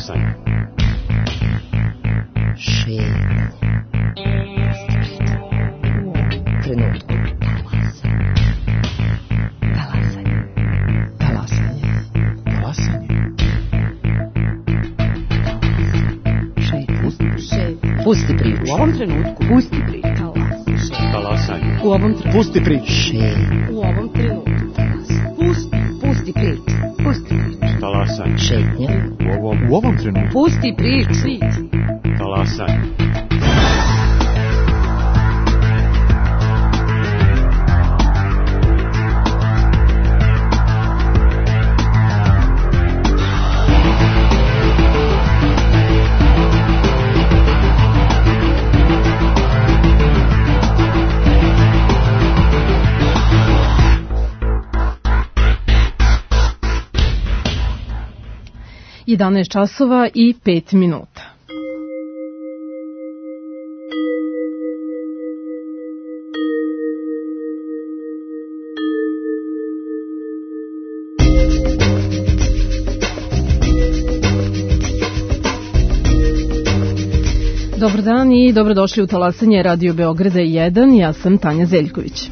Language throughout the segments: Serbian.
Talasanje. Šetnje. Trenutku. Talasanje. Talasanje. Talasanje. Pusti priču. U ovom trenutku. Pusti priču. Talasanje. U ovom trenutku. Pusti priču. U ovom trenutku. Pusti priču. Pusti priču. Talasanje. Šetnja. U ovom trenutku. Pusti priču. Talasanje. časova i 5 minuta. Dobar dan i dobrodošli u Talasanje Radio Beograda 1. Ja sam Tanja Zeljković.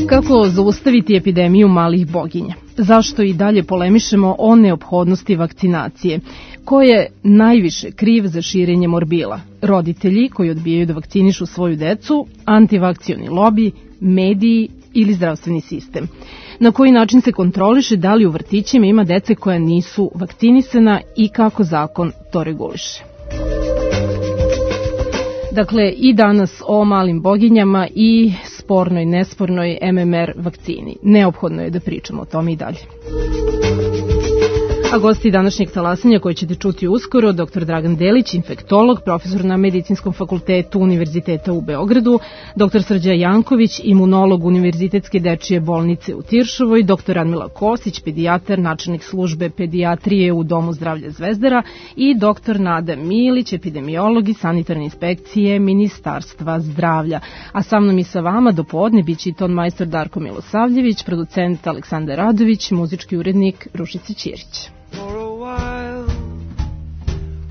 Kako zaustaviti epidemiju malih boginja? Zašto i dalje polemišemo o neophodnosti vakcinacije? Ko je najviše kriv za širenje morbila? Roditelji koji odbijaju da vakcinišu svoju decu, antivakcioni lobi, mediji ili zdravstveni sistem? Na koji način se kontroliše da li u vrtićima ima dece koja nisu vakcinisana i kako zakon to reguliše? Dakle, i danas o malim boginjama i spornoj, nespornoj MMR vakcini. Neophodno je da pričamo o tome i dalje. A gosti današnjeg talasanja koje ćete čuti uskoro, dr. Dragan Delić, infektolog, profesor na Medicinskom fakultetu Univerziteta u Beogradu, dr. Srđan Janković, imunolog Univerzitetske dečije bolnice u Tiršovoj, dr. Radmila Kosić, pedijatar, načelnik službe pedijatrije u Domu zdravlja Zvezdara i dr. Nada Milić, epidemiolog i sanitarne inspekcije Ministarstva zdravlja. A sa mnom i sa vama do podne biće i ton majstor Darko Milosavljević, producent Aleksandar Radović, muzički urednik Rušica Ćirić. For a while,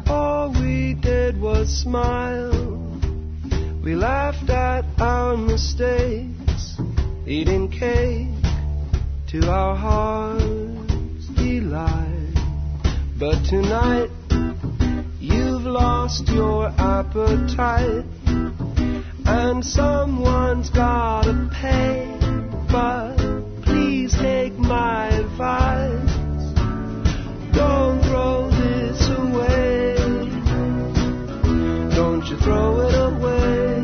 all we did was smile. We laughed at our mistakes, eating cake to our heart's delight. But tonight, you've lost your appetite, and someone's gotta pay. But please take my advice. Don't throw this away. Don't you throw it away.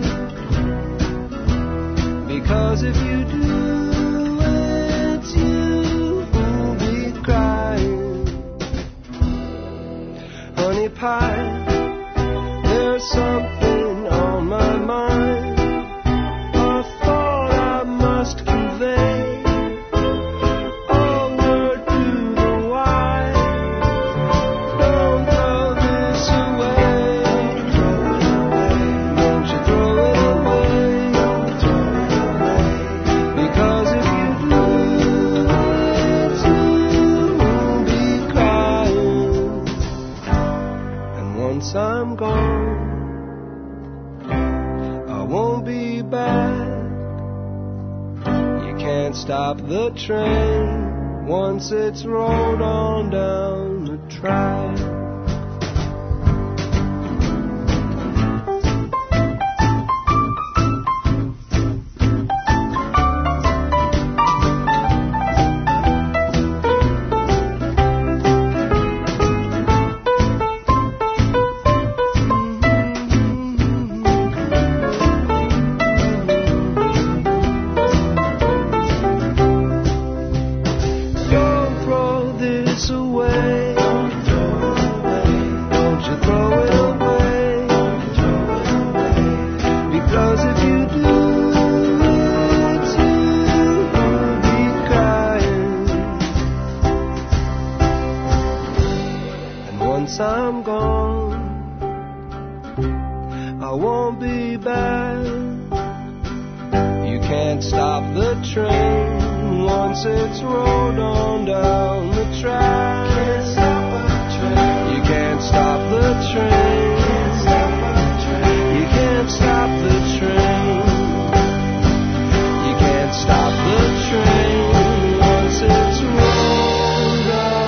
Because if you do, it's you who'll be crying. Honey pie, there's something on my mind, a thought I must convey. I'm gone, I won't be back. You can't stop the train once it's rolled on down the track. I'm gone, I won't be back. You can't stop the train once it's rolled on down the track. Can't stop a train. stop the train. You can't stop the train. You can't stop the train once it's rolled away.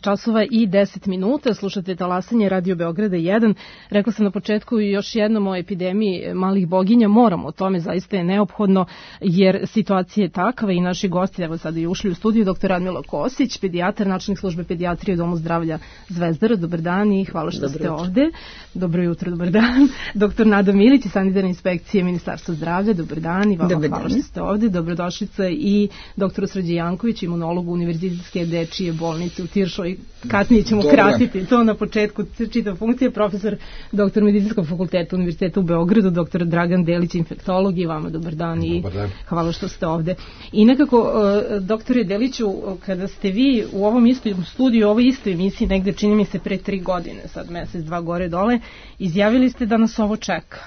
časova i 10 minuta, slušate talasanje Radio Beograda 1. Rekla sam na početku i još jednom o epidemiji malih boginja, moramo o tome, zaista je neophodno, jer situacija je takva i naši gosti, evo sada i ušli u studiju, dr. Radmila Kosić, pedijatar, načelnik službe pedijatrije u Domu zdravlja Zvezdara, dobar dan i hvala što ste ovde. Dobro jutro, dobar dan. Dr. Nada Milić, sanitarne inspekcije Ministarstva zdravlja, dobar dan i vama hvala što ste ovde. Dobrodošlica i dr. Srđe Janković, imunolog Univerzitetske dečije bolnice u Tiršoj. Kasnije ćemo kratiti to, na početku čitav funkcija, profesor dr. Medicinskog fakulteta Univerziteta u Beogradu, dr. Dragan Delić, infektolog, i vama dobar dan i hvala što ste ovde. I nekako, doktore Deliću, kada ste vi u ovom istom studiju, u ovoj istoj emisiji, negde čini mi se pre 3 godine, sad mesec, 2 gore dole, izjavili ste da nas ovo čeka,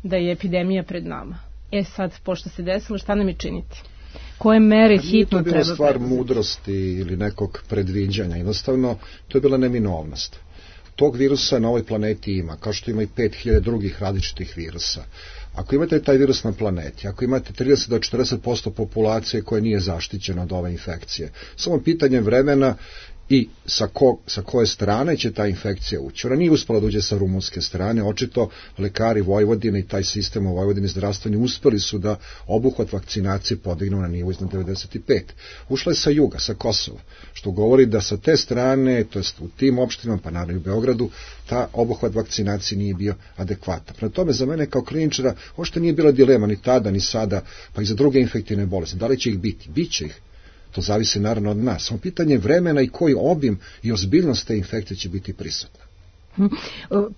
da je epidemija pred nama. Sad, pošto se desilo, šta nam je činiti? Koje mere hitno treba? To je bila stvar mudrosti ili nekog predviđanja. Jednostavno, to je bila neminovnost. Tog virusa na ovoj planeti ima, kao što ima i 5000 drugih različitih virusa. Ako imate taj virus na planeti, ako imate 30 do 40% populacije koja nije zaštićena od ove infekcije, samo pitanje vremena i sa koje strane će ta infekcija ući. Ona nije uspela da uđe sa rumunske strane, očito lekari Vojvodine i taj sistem u Vojvodini zdravstveni uspeli su da obuhvat vakcinacije podignu na nivo iznad 95. Ušla je sa juga, sa Kosova, što govori da sa te strane, to jest u tim opštinama, pa naravno i u Beogradu, ta obuhvat vakcinacije nije bio adekvatan. Prema tome, za mene kao kliničara, uopšte nije bila dilema ni tada, ni sada, pa i za druge infektivne bolesti. Da li će ih biti? Biće ih. To zavisi naravno od nas. Samo pitanje vremena i koji obim i ozbiljnost te infekcije će biti prisutna.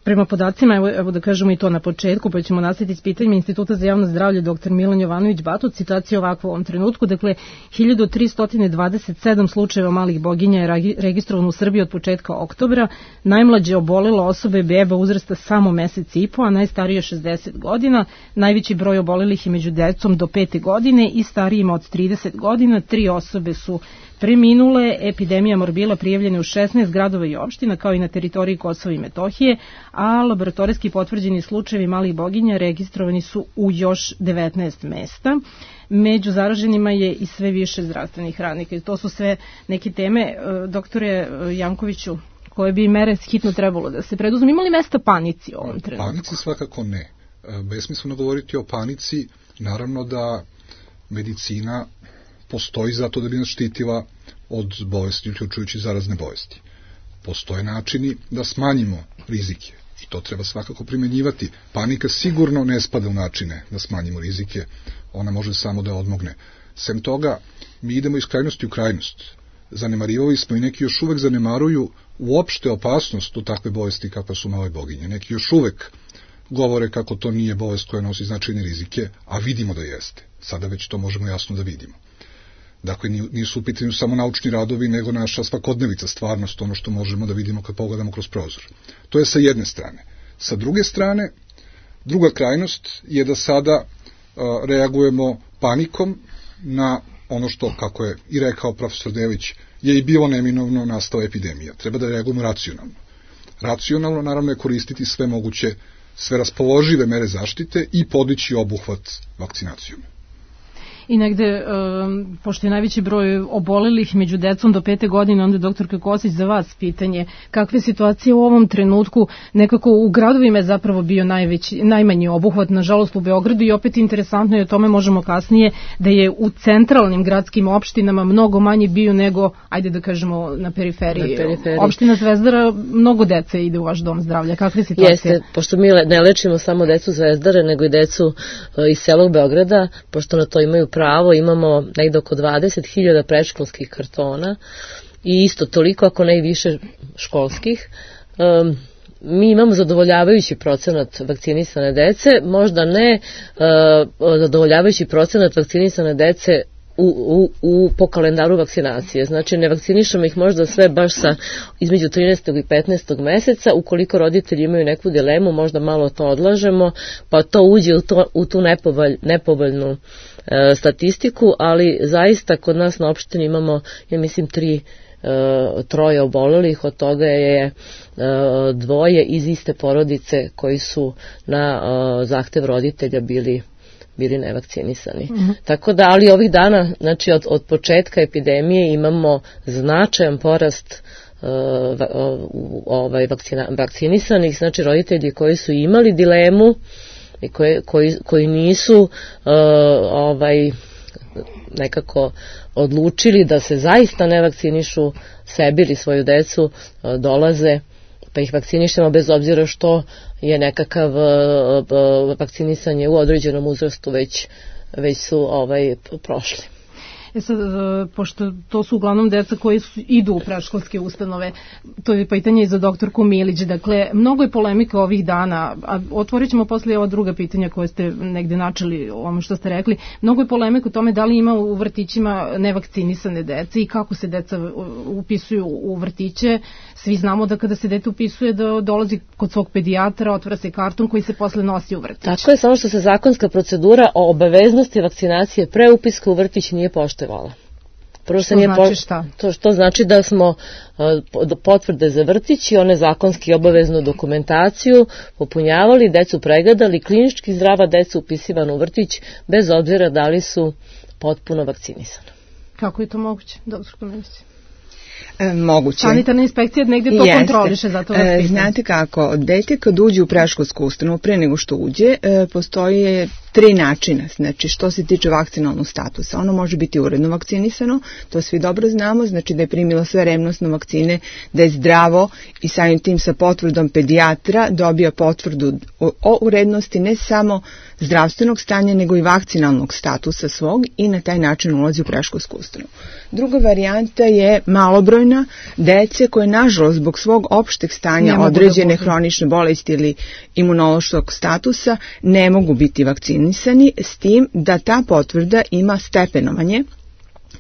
Prema podacima, evo da kažemo i to na početku, pa ćemo nastaviti s pitanjima Instituta za javno zdravlje dr. Milan Jovanović-Batut, situacija ovakva u ovom trenutku, dakle 1327 slučajeva malih boginja je registrovano u Srbiji od početka oktobra, najmlađe obolelo osobe beba uzrasta samo mesec i po, a najstarije 60 godina, najveći broj obolelih je među decom do 5. godine i starijima od 30 godina, 3 osobe su preminule, epidemija morbila prijavljena u 16 gradova i opština, kao i na teritoriji Kosova i Metohije, a laboratorijski potvrđeni slučajevi malih boginja registrovani su u još 19 mesta. Među zaraženima je i sve više zdravstvenih radnika. I to su sve neke teme, doktore Jankoviću, koje bi mere hitno trebalo da se preduzme. Ima li mesta panici u ovom trenutku? Panici svakako ne. Besmisleno govoriti o panici, naravno da medicina postoji zato da bi nas štitila od bolesti, uključujući zarazne bolesti. Postoje načini da smanjimo rizike i to treba svakako primenjivati. Panika sigurno ne spada u načine da smanjimo rizike, ona može samo da odmogne. Sem toga, mi idemo iz krajnosti u krajnost. Zanemarivali smo i neki još uvek zanemaruju uopšte opasnost od takve bolesti kakva su male boginje. Neki još uvek govore kako to nije bolest koja nosi značajne rizike, a vidimo da jeste. Sada već to možemo jasno da vidimo. Dakle, nisu u pitanju samo naučni radovi, nego naša svakodnevica, stvarnost, ono što možemo da vidimo kad pogledamo kroz prozor. To je sa jedne strane. Sa druge strane, druga krajnost je da sada reagujemo panikom na ono što, kako je i rekao profesor Delić, je i bilo neminovno nastala epidemija. Treba da reagujemo racionalno. Racionalno, naravno, je koristiti sve moguće, sve raspoložive mere zaštite i podići obuhvat vakcinacijom. I negde, pošto je najveći broj obolelih među decom do 5. godine, onda doktorka Kosić, za vas pitanje, kakve situacije u ovom trenutku, nekako u gradovima je zapravo bio najmanji obuhvat, nažalost u Beogradu, i opet interesantno je, o tome možemo kasnije, da je u centralnim gradskim opštinama mnogo manji bio nego, ajde da kažemo, na periferiji. Opština Zvezdara, mnogo dece ide u vaš dom zdravlja. Kakve situacije? Jeste, pošto mi ne lečimo samo decu Zvezdare, nego i decu iz celog Beograda, pošto na to imaju pravo, imamo negde oko 20.000 predškolskih kartona i isto toliko, ako ne i više, školskih. Mi imamo zadovoljavajući procenat vakcinisane dece, možda ne zadovoljavajući procenat vakcinisane dece po kalendaru vakcinacije. Znači, ne vakcinišemo ih možda sve baš između 13. i 15. meseca. Ukoliko roditelji imaju neku dilemu, možda malo to odlažemo, pa to uđe u tu nepovoljnu statistiku, ali zaista kod nas na opštini imamo, ja mislim, 3 obolelih, od toga je 2 iz iste porodice koji su na zahtev roditelja bili nevakcinisani. Tako da, ali ovih dana, znači od početka epidemije imamo značajan porast vakcinisanih, znači roditelji koji su imali dilemu i koji nisu nekako odlučili da se zaista ne vakcinišu sebi ili svoju decu, dolaze pa ih vakcinišemo bez obzira što je nekakav vakcinisanje u određenom uzrastu već su prošli. Sad, pošto to su uglavnom deca koji idu u predškolske ustanove, to je pitanje i za doktorku Milić. Dakle, mnogo je polemika ovih dana, a otvorit ćemo posle ova druga pitanja koje ste negde načeli o ono što ste rekli. Mnogo je polemika o tome da li ima u vrtićima nevakcinisane dece i kako se deca upisuju u vrtiće. Svi znamo da kada se dete upisuje da dolazi kod svog pedijatra, otvara se karton koji se posle nosi u vrtić. Tako je, samo što se zakonska procedura o obaveznosti vakcinacije pre upiska u vrtić nije poštovala. Prvo što znači šta? To znači da smo potvrde za vrtić i one zakonski obaveznu dokumentaciju popunjavali, decu pregledali, klinički zdrava deca upisivana u vrtić bez obzira da li su potpuno vakcinisana. Kako je to moguće, doktor Milić? Moguće. Sanitarna inspekcija negdje to kontroliše, zato vas pitam. Znate kako, dete kad uđe u predškolsku ustanovu, pre nego što uđe, postoje 3 načina, znači što se tiče vakcinalnog statusa. Ono može biti uredno vakcinisano, to svi dobro znamo, znači da je primilo sve revnosne vakcine, da je zdravo i samim tim sa potvrdom pedijatra dobija potvrdu o urednosti ne samo zdravstvenog stanja, nego i vakcinalnog statusa svog i na taj način ulazi u predškolsku ustanovu. Druga varijanta je malobrojna dece koje, nažalost, zbog svog opšteg stanja određene hronične bolesti ili imunološkog statusa ne mogu biti vakcinisani, s tim da ta potvrda ima stepenovanje.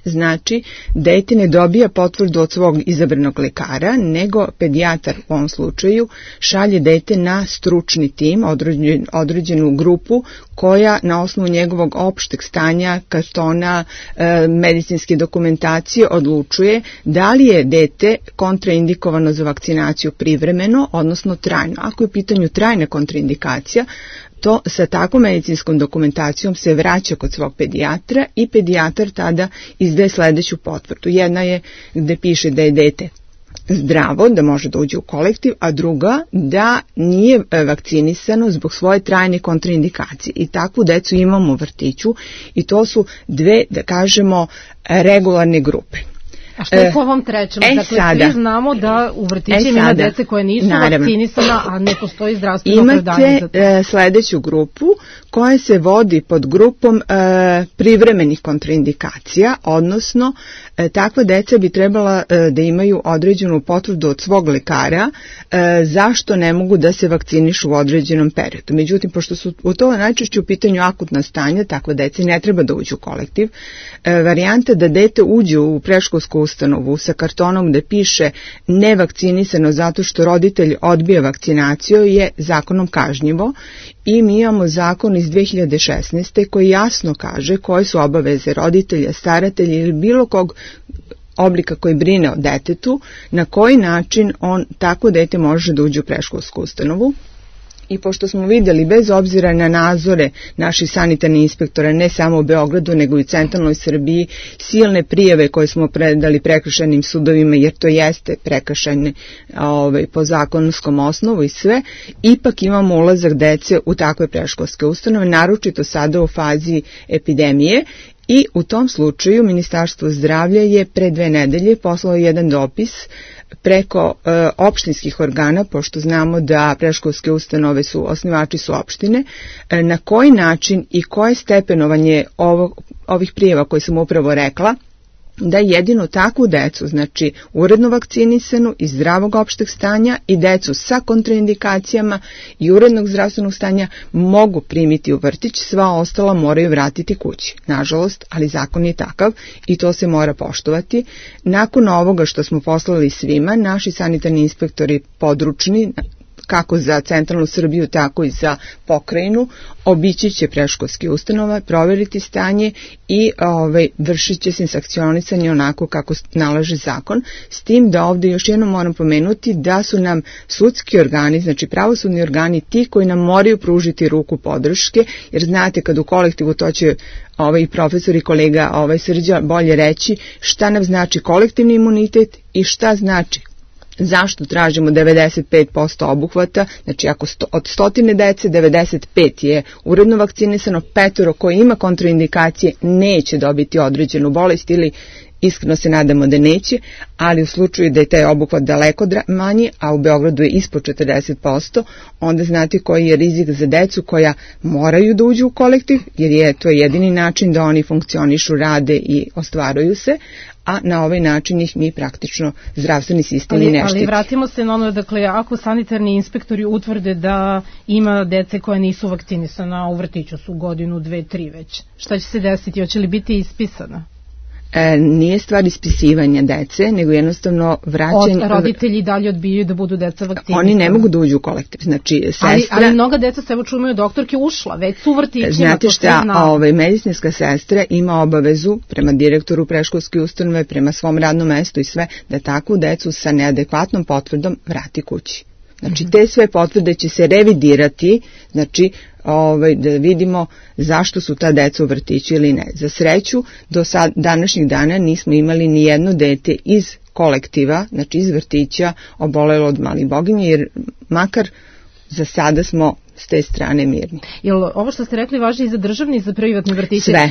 Znači, dete ne dobija potvrdu od svog izabranog lekara, nego pedijatar u ovom slučaju šalje dete na stručni tim, određenu grupu koja na osnovu njegovog opšteg stanja, kartona, medicinske dokumentacije odlučuje da li je dete kontraindikovano za vakcinaciju privremeno, odnosno trajno. Ako je u pitanju trajna kontraindikacija, to sa takvom medicinskom dokumentacijom se vraća kod svog pedijatra i pedijatar tada izdaje sledeću potvrdu. Jedna je gde piše da je dete zdravo, da može da uđe u kolektiv, a druga da nije vakcinisano zbog svoje trajne kontraindikacije. I takvu decu imamo u vrtiću i to su 2, da kažemo, regularne grupe. A što je po ovom trećem? Dakle, svi znamo da u vrtićima ima dece koje nisu vakcinisana, a ne postoji zdravstveno opravdanje za to. Imate sledeću grupu koja se vodi pod grupom privremenih kontraindikacija, odnosno takva deca bi trebala da imaju određenu potvrdu od svog lekara zašto ne mogu da se vakcinišu u određenom periodu. Međutim, pošto su u to najčešće u pitanju akutna stanja, takva deca ne treba da uđu u kolektiv. Varijanta da dete uđe u predškolsku ustanovu sa kartonom da piše nevakcinisano zato što roditelj odbija vakcinaciju je zakonom kažnjivo i mi imamo zakon iz 2016. koji jasno kaže koje su obaveze roditelja, staratelja ili bilo kog oblika koji brine o detetu, na koji način on tako dete može da uđe u predškolsku ustanovu. I pošto smo vidjeli, bez obzira na nadzore naših sanitarnih inspektora, ne samo u Beogradu, nego i u centralnoj Srbiji, silne prijave koje smo predali prekršajnim sudovima, jer to jeste prekršajne po zakonskom osnovu i sve, ipak imamo ulazak dece u takve predškolske ustanove, naročito sada u fazi epidemije. I u tom slučaju Ministarstvo zdravlja je pre 2 nedelje poslalo jedan dopis preko opštinskih organa, pošto znamo da predškolske ustanove osnivači su opštine, na koji način i koje stepenovanje ovih prijava koje sam upravo rekla da jedino takvu decu, znači uredno vakcinisanu i zdravog opšteg stanja i decu sa kontraindikacijama i urednog zdravstvenog stanja mogu primiti u vrtić, sva ostala moraju vratiti kući. Nažalost, ali zakon je takav i to se mora poštovati. Nakon ovoga što smo poslali svima, naši sanitarni inspektori područni, kako za centralnu Srbiju, tako i za pokrajinu, obići će predškolske ustanove, proveriti stanje i vršit će se sankcionisanje onako kako nalaže zakon, s tim da ovde još jednom moram pomenuti da su nam sudski organi, znači pravosudni organi, ti koji nam moraju pružiti ruku podrške, jer znate kad u kolektivu, to će i profesor i kolega Srđa bolje reći, šta nam znači kolektivni imunitet i šta znači zašto tražimo 95% obuhvata, znači ako od 100 dece 95 je uredno vakcinisano, 5 koji ima kontraindikacije neće dobiti određenu bolest ili iskreno se nadamo da neće, ali u slučaju da je taj obuhvat daleko manji, a u Beogradu je ispod 40%, onda znate koji je rizik za decu koja moraju da uđu u kolektiv, jer to je jedini način da oni funkcionišu, rade i ostvaruju se, a na ovaj način ih mi praktično zdravstveni sistem i ne štiti. Ali vratimo se na ono, dakle, ako sanitarni inspektori utvrde da ima dece koja nisu vakcinisana, u vrtiću su godinu, 2, 3 već, šta će se desiti? Hoće li biti ispisana? Nije stvar ispisivanja dece, nego jednostavno vraćanje... Roditelji dalje odbijaju da budu deca vakcinisana. Oni ne mogu da uđu u kolektiv, znači sestra... Ali mnoga deca se, evo čujemo, doktorke ušla, već su u vrtićima, znate šta, medicinska sestra ima obavezu prema direktoru predškolske ustanove, prema svom radnom mestu i sve, da takvu decu sa neadekvatnom potvrdom vrati kući. Znači, te sve potvrde će se revidirati, znači, da vidimo zašto su ta deca u vrtiću ili ne. Za sreću, do današnjih dana nismo imali ni jedno dete iz kolektiva, znači iz vrtića, obolelo od malih boginje, jer makar za sada smo s te strane mirni. Jel ovo što ste rekli važi i za državni i za privatni vrtiće? Sve.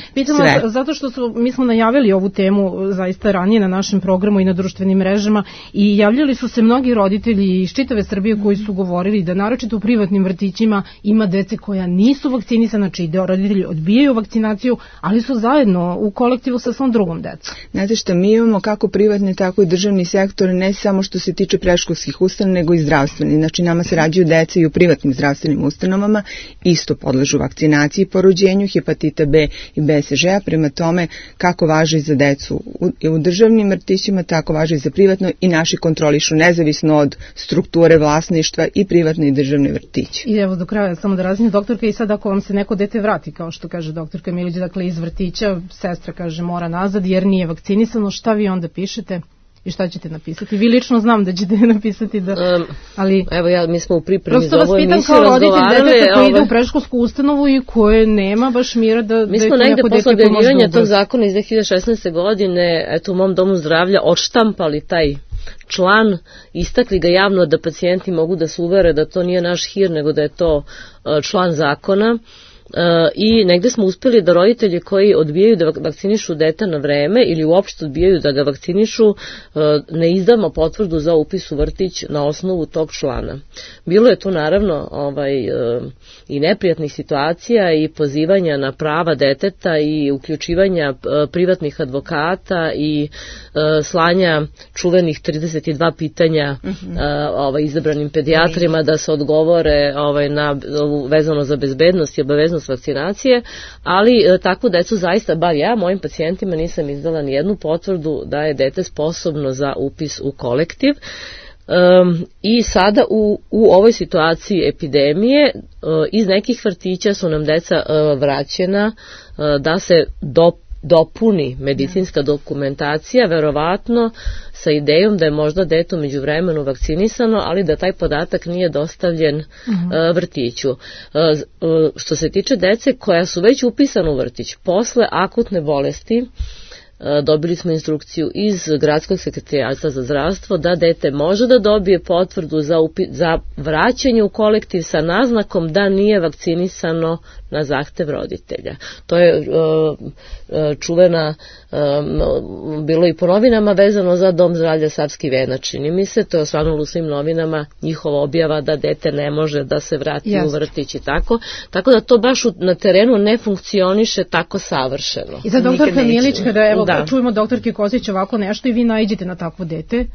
Zato što mi smo najavili ovu temu zaista ranije na našem programu i na društvenim mrežama i javljali su se mnogi roditelji iz čitave Srbije koji su govorili da naročito u privatnim vrtićima ima dece koja nisu vakcinisana, znači da roditelji odbijaju vakcinaciju, ali su zajedno u kolektivu sa svom drugom decom. Znate što, mi imamo kako privatni, tako i državni sektor, ne samo što se tiče predškolskih ustanova, nego i zdravstveni. Znači nama se rađaju deca i u privatnim zdravstvenim ustanovama, isto podležu vakcinaciji po rođenju, hepatita B i BSŽ-a, prema tome kako važi za decu u državnim vrtićima, tako važi i za privatno i naši kontrolišu nezavisno od strukture vlasništva i privatne i državne vrtiće. I evo do kraja samo da razmijem, doktorka, i sad ako vam se neko dete vrati, kao što kaže doktorka Milić, dakle iz vrtića, sestra kaže mora nazad jer nije vakcinisano, šta vi onda pišete? I šta ćete napisati? Vi lično znam da ćete napisati ali... Evo mi smo u pripremi za ovu emisiju razgovarali. Prosto vas pitam kao roditelj deteta koji ide u predškolsku ustanovu i koje nema baš mira da... Mi smo negde posle objavljivanja tog zakona iz 2016. godine, u mom domu zdravlja, odštampali taj član, istakli ga javno da pacijenti mogu da se uvere da to nije naš hir, nego da je to član zakona. I negde smo uspeli da roditelji koji odbijaju da vakcinišu dete na vreme ili uopšte odbijaju da ga vakcinišu, ne izdamo potvrdu za upis u vrtić na osnovu tog člana. Bilo je tu naravno i neprijatnih situacija i pozivanja na prava deteta i uključivanja privatnih advokata i slanja čuvenih 32 pitanja izabranim pedijatrima da se odgovore vezano za bezbednost i obaveznost vakcinacije, ali takvu decu zaista, bar ja mojim pacijentima nisam izdala ni jednu potvrdu da je dete sposobno za upis u kolektiv. I sada u ovoj situaciji epidemije iz nekih vrtića su nam deca vraćena da se dopuni medicinska dokumentacija, verovatno sa idejom da je možda dete umeđu vremenu vakcinisano, ali da taj podatak nije dostavljen vrtiću. Što se tiče dece koja su već upisana u vrtić, posle akutne bolesti, dobili smo instrukciju iz Gradskog sekretarijata za zdravstvo da dete može da dobije potvrdu za vraćanje u kolektiv sa naznakom da nije vakcinisano na zahtev roditelja. To je čuvena, bilo i po novinama vezano za Dom zdravlja Savski Venac, čini mi se, to je osvanulo u svim novinama njihova objava da dete ne može da se vrati u vrtić i tako da to baš na terenu ne funkcioniše tako savršeno. I za doktorka Milić, kada evo čujemo doktorke Kostić ovako nešto i vi naiđete na takvo dete.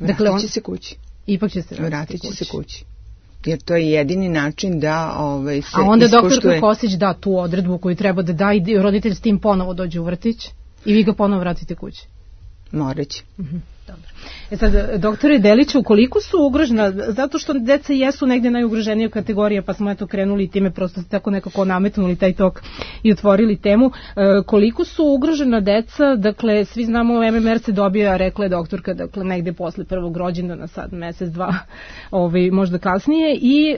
Vratit će se kući. Ipak će se vratit će se kući. Jer to je jedini način da se ispoštuje. A onda doktorka Kostić da tu odredbu koju treba da da i roditelj s tim ponovo dođe u vrtić i vi ga ponovo vratite kući. Moreći. Dobro. Sad, doktore Deliću, koliko su ugrožena, zato što deca jesu negde najugroženija kategorija, pa smo eto krenuli time, prosto ste tako nekako nametnuli taj tok i otvorili temu, koliko su ugrožena deca, dakle, svi znamo MMR se dobija, rekla je doktorka, dakle, negde posle prvog rođendana, sad mesec, dva, možda kasnije, i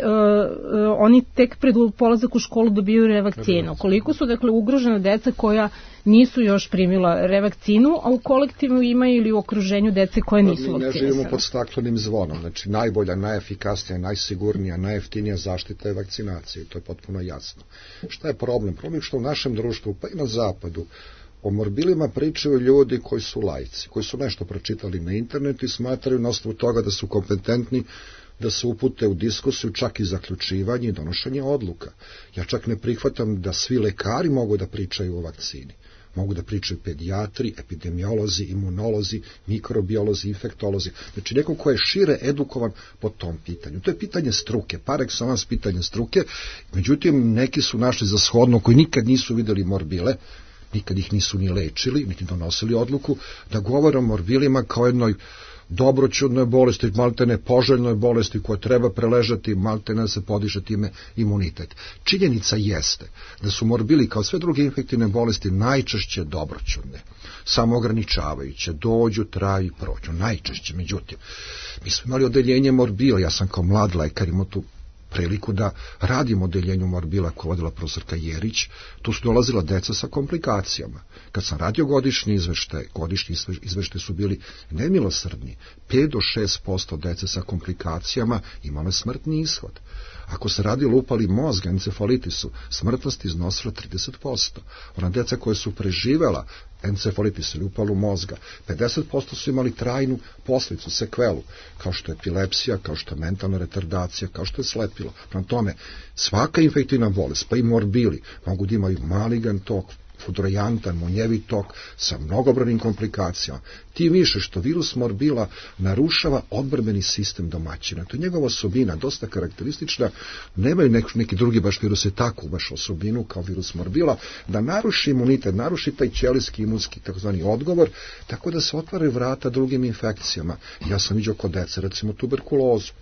oni tek pred polazak u školu dobiju revakcinu. Koliko su, dakle, ugrožena deca koja nisu još primila revakcinu, a u kolektivu ima ili u okruženju dece koje nisu vakcinisane. Mi ne živimo pod staklenim zvonom, znači najbolja, najefikasnija, najsigurnija, najjeftinija zaštita je vakcinacija i to je potpuno jasno. Šta je problem? Problem je što u našem društvu, pa i na zapadu, o morbilima pričaju ljudi koji su laici, koji su nešto pročitali na internetu i smatraju na osnovu toga da su kompetentni da se upute u diskusiju, čak i zaključivanje i donošenje odluka. Ja čak ne prihvatam da svi lekari mogu da pričaju o vakcini. Mogu da pričaju pedijatri, epidemiolozi, imunolozi, mikrobiolozi, infektolozi. Znači neko ko je šire edukovan po tom pitanju. To je pitanje struke, par excellence pitanje struke. Međutim, neki su našli za shodno koji nikad nisu videli morbile, nikad ih nisu ni lečili, niti donosili odluku, da govore o morbilima kao jednoj dobroćudnoj bolesti, maltene poželjnoj bolesti koja treba preležati, maltene da se podiže time imunitet. Činjenica jeste da su morbili kao sve druge infektivne bolesti najčešće dobroćudne, samoograničavajuće, dođu, traju i prođu, najčešće. Međutim, mi smo imali odeljenje morbila, ja sam kao mlad lekar imao tu priliku da radim odeljenju morbila koje vodila profesorka Jerić, tu su dolazila deca sa komplikacijama. Kad sam radio godišnji izveštaj su bili nemilosrdni. 5 do 6% dece sa komplikacijama imalo je smrtni ishod. Ako se radi o upali mozga, encefalitisu, smrtnost iznosila 30%. Ona deca koje su preživela encefalitis ili upalu mozga, 50% su imali trajnu posljedicu, sekvelu, kao što je epilepsija, kao što je mentalna retardacija, kao što je slepilo. Prema tome, svaka infektivna bolest, pa i morbili, mogu da imaju maligan tok, fudrojantan, munjevi tok sa mnogobrojnim komplikacijama. Tim više što virus morbila narušava odbrambeni sistem domaćina. To je njegova osobina, dosta karakteristična. Nemaju neki drugi baš viruse takvu baš osobinu kao virus morbila, da naruši imunitet, naruši taj ćelijski imunski takozvani odgovor, tako da se otvaraju vrata drugim infekcijama. Ja sam vidio kod dece, recimo tuberkulozu.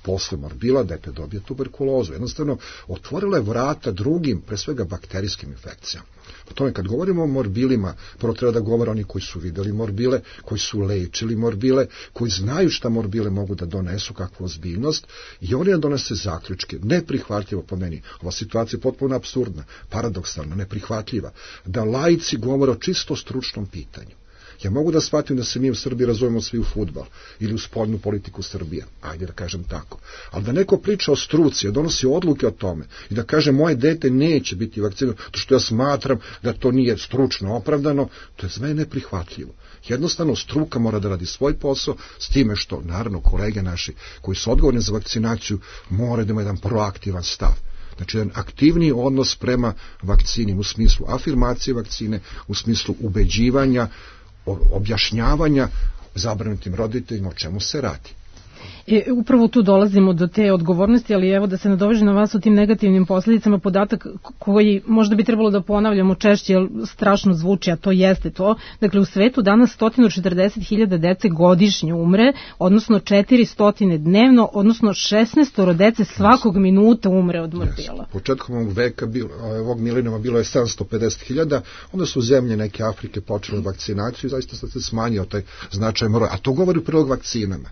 Posle morbila dete dobije tuberkulozu. Jednostavno, otvorila je vrata drugim, pre svega bakterijskim infekcijama. Po tome, kad govorimo o morbilima, prvo treba da govore oni koji su videli morbile, koji su lečili morbile, koji znaju šta morbile mogu da donesu, kakvu ozbiljnost, i oni da donese zaključke. Neprihvatljivo po meni. Ova situacija je potpuno apsurdna, paradoksalna, neprihvatljiva. Da laici govore o čisto stručnom pitanju. Ja mogu da shvatim da se mi u Srbiji razumemo svi u fudbal ili u spoljnu politiku Srbije, ajde da kažem tako. Ali da neko priča o struci, da donosi odluke o tome i da kaže moje dete neće biti vakcinovano, to što ja smatram da to nije stručno opravdano, to je za mene neprihvatljivo. Jednostavno, struka mora da radi svoj posao, s time što, naravno, kolege naši koji su odgovorni za vakcinaciju moraju da imaju jedan proaktivan stav. Znači, jedan aktivniji odnos prema vakcini u smislu afirmacije vakcine, u smislu ubeđivanja, objašnjavanja zabrinutim roditeljima o čemu se radi. Upravo tu dolazimo do te odgovornosti, ali evo da se nadoveže na vas o tim negativnim posljedicama, podatak koji možda bi trebalo da ponavljamo češće, jer strašno zvuči, a to jeste to. Dakle, u svetu danas 140.000 dece godišnje umre, odnosno 400 dnevno, odnosno 16 dece svakog minuta umre od morbila. Početkom ovog veka, ovog milenijuma bilo je 750.000, onda su zemlje neke Afrike počele vakcinaciju i zaista se smanjio taj značajan broj, a to govori u prilog vakcinama.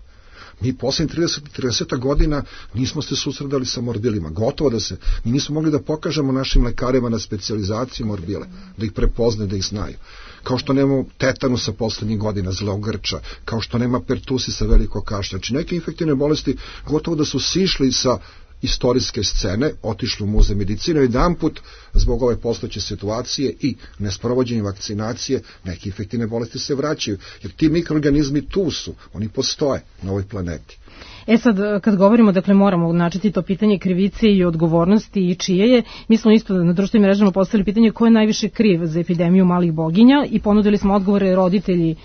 Mi posljednjih 30 godina nismo se susredali sa morbilima. Gotovo da se, mi nismo mogli da pokažemo našim lekarima na specijalizaciji morbile, da ih prepoznaju, da ih znaju. Kao što nema tetanusa poslednjih godina, zlog grča, kao što nema pertusisa, veliko kašlja. Znači neke infektivne bolesti gotovo da su sišli sa istorijske scene, otišli u muzej medicine, jedan put zbog ove postojeće situacije i nesprovođenja vakcinacije neke infektivne bolesti se vraćaju, jer ti mikroorganizmi tu su, oni postoje na ovoj planeti. Sad, kad govorimo, dakle, moramo načeti to pitanje krivice i odgovornosti i čije je, mi smo isto na društvenim mrežama postavili pitanje ko je najviše kriv za epidemiju malih boginja i ponudili smo odgovore roditelji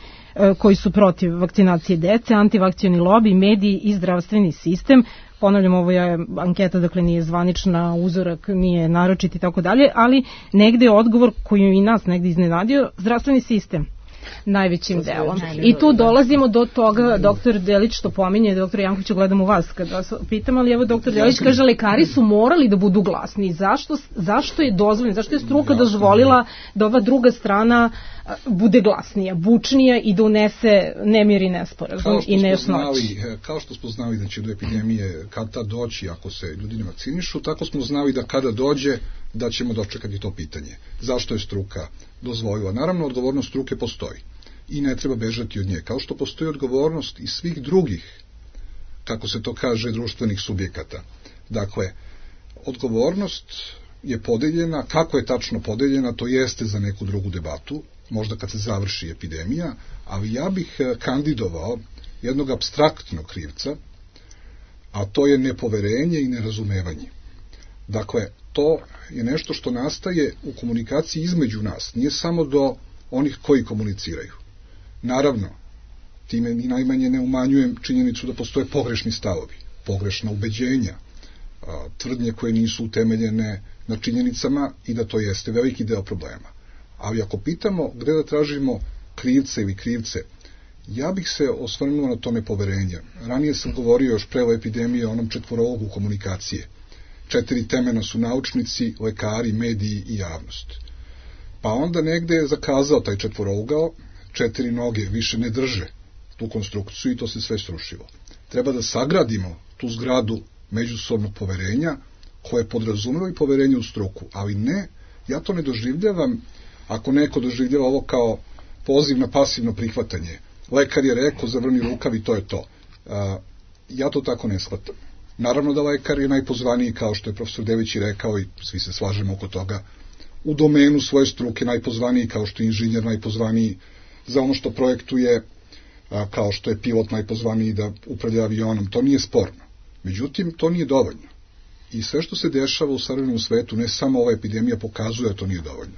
koji su protiv vakcinacije dece, antivakcioni lobi, mediji i zdravstveni sistem. Ponavljam, ovo je anketa, dakle nije zvanična, uzorak nije naročit i tako dalje, ali negde je odgovor koji je i nas negde iznenadio, zdravstveni sistem najvećim delom. I tu dolazimo do toga, doktor Delić što pominje, doktor Jankoviću, gledam u vas kad vas pitam, ali evo doktor Delić kaže, lekari su morali da budu glasni. Zašto je dozvoljeno, zašto je struka dozvolila da ova druga strana bude glasnija, bučnija i da unese nemir i nesporazum i nejasnoći? Kao što smo znali da će do epidemije kad tad doći ako se ljudi ne vakcinišu, tako smo znali da kada dođe da ćemo dočekati to pitanje. Zašto je struka dozvolila? Naravno, odgovornost struke postoji i ne treba bežati od nje. Kao što postoji odgovornost i svih drugih, kako se to kaže, društvenih subjekata. Dakle, odgovornost je podeljena, kako je tačno podeljena, to jeste za neku drugu debatu, možda kad se završi epidemija, ali ja bih kandidovao jednog apstraktnog krivca, a to je nepoverenje i nerazumevanje. Dakle, to je nešto što nastaje u komunikaciji između nas, nije samo do onih koji komuniciraju. Naravno, time ni najmanje ne umanjujem činjenicu da postoje pogrešni stavovi, pogrešna ubeđenja, tvrdnje koje nisu utemeljene na činjenicama i da to jeste veliki deo problema. Ali ako pitamo gde da tražimo krivce ili krivce, ja bih se osvrnuo na to nepoverenje. Ranije sam govorio još pre ove epidemije o onom četvorologu komunikacije. 4 temena su naučnici, lekari, mediji i javnost. Pa onda negde je zakazao taj četvorougao, 4 noge više ne drže tu konstrukciju i to se sve srušilo. Treba da sagradimo tu zgradu međusobnog poverenja koje podrazumeva i poverenje u struku, ali ne, ja to ne doživljavam ako neko doživljava ovo kao poziv na pasivno prihvatanje. Lekar je rekao, zavrni rukav i to je to. Ja to tako ne shvatam. Naravno da lekar je najpozvaniji, kao što je profesor Delić rekao i svi se slažemo oko toga, u domenu svoje struke najpozvaniji, kao što je inženjer najpozvaniji za ono što projektuje, kao što je pilot najpozvaniji da upravlja avionom. To nije sporno. Međutim, to nije dovoljno. I sve što se dešava u savremenom svetu, ne samo ova epidemija, pokazuje da to nije dovoljno.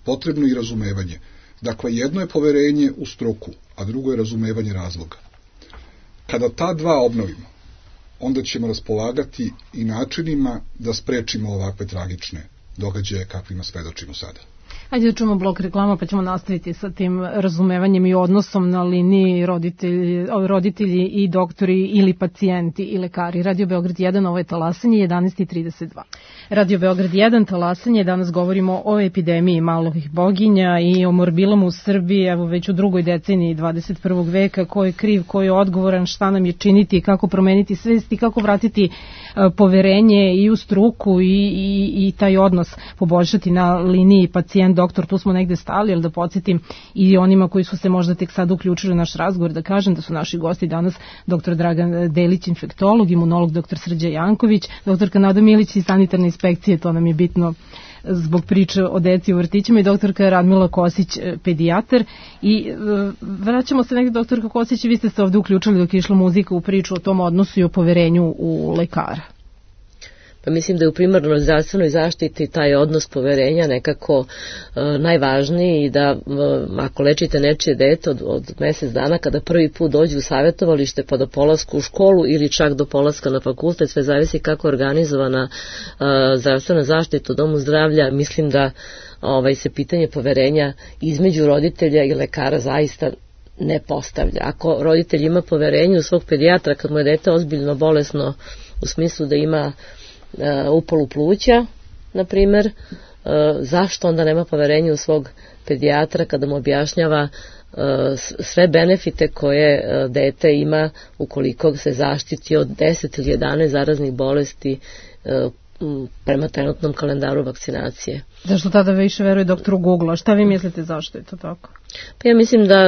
Potrebno je i razumevanje. Dakle, jedno je poverenje u struku, a drugo je razumevanje razloga. Kada ta dva obnovimo, onda ćemo raspolagati i načinima da sprečimo ovakve tragične događaje kakvima svedočimo sada. Hajde da čujemo blok reklama pa ćemo nastaviti sa tim razumevanjem i odnosom na liniji roditelji i doktori ili pacijenti i lekari. Radio Beograd 1, ovo je talasanje 11:32. Radio Beograd 1, talasanje, danas govorimo o epidemiji malih boginja i o morbilama u Srbiji, evo već u drugoj deceniji 21. veka, ko je kriv, ko je odgovoran, šta nam je činiti, kako promeniti svest i kako vratiti poverenje i u struku i taj odnos poboljšati na liniji pacijent doktor, tu smo negde stali, ali da podsjetim i onima koji su se možda tek sad uključili u naš razgovor, da kažem da su naši gosti danas dr. Dragan Delić, infektolog, imunolog dr. Srđa Janković, dr. Nada Milić iz sanitarne inspekcije, to nam je bitno zbog priče o deci u vrtićima, i doktorka Radmila Kosić, pedijatar. I vraćamo se negde, doktorka Kosić, vi ste se ovde uključili dok je išla muzika u priču o tom odnosu i o poverenju u lekara. Pa mislim da je u primarnoj zdravstvenoj zaštiti taj odnos poverenja nekako najvažniji i da ako lečite nečije dete od mesec dana, kada prvi put dođu u savjetovalište pa do polaska u školu ili čak do polaska na fakultet, sve zavisi kako je organizovana zdravstvena zaštita u domu zdravlja, mislim da se pitanje poverenja između roditelja i lekara zaista ne postavlja. Ako roditelj ima poverenje u svog pedijatra kad mu je dete ozbiljno bolesno u smislu da ima upalu pluća, na primjer, zašto onda nema poverenja u svog pedijatra kada mu objašnjava sve benefite koje dete ima ukoliko se zaštiti od 10 ili 11 zaraznih bolesti prema trenutnom kalendaru vakcinacije. Zašto tada više veruje doktoru Google? Šta vi mislite zašto je to tako? Pa ja mislim da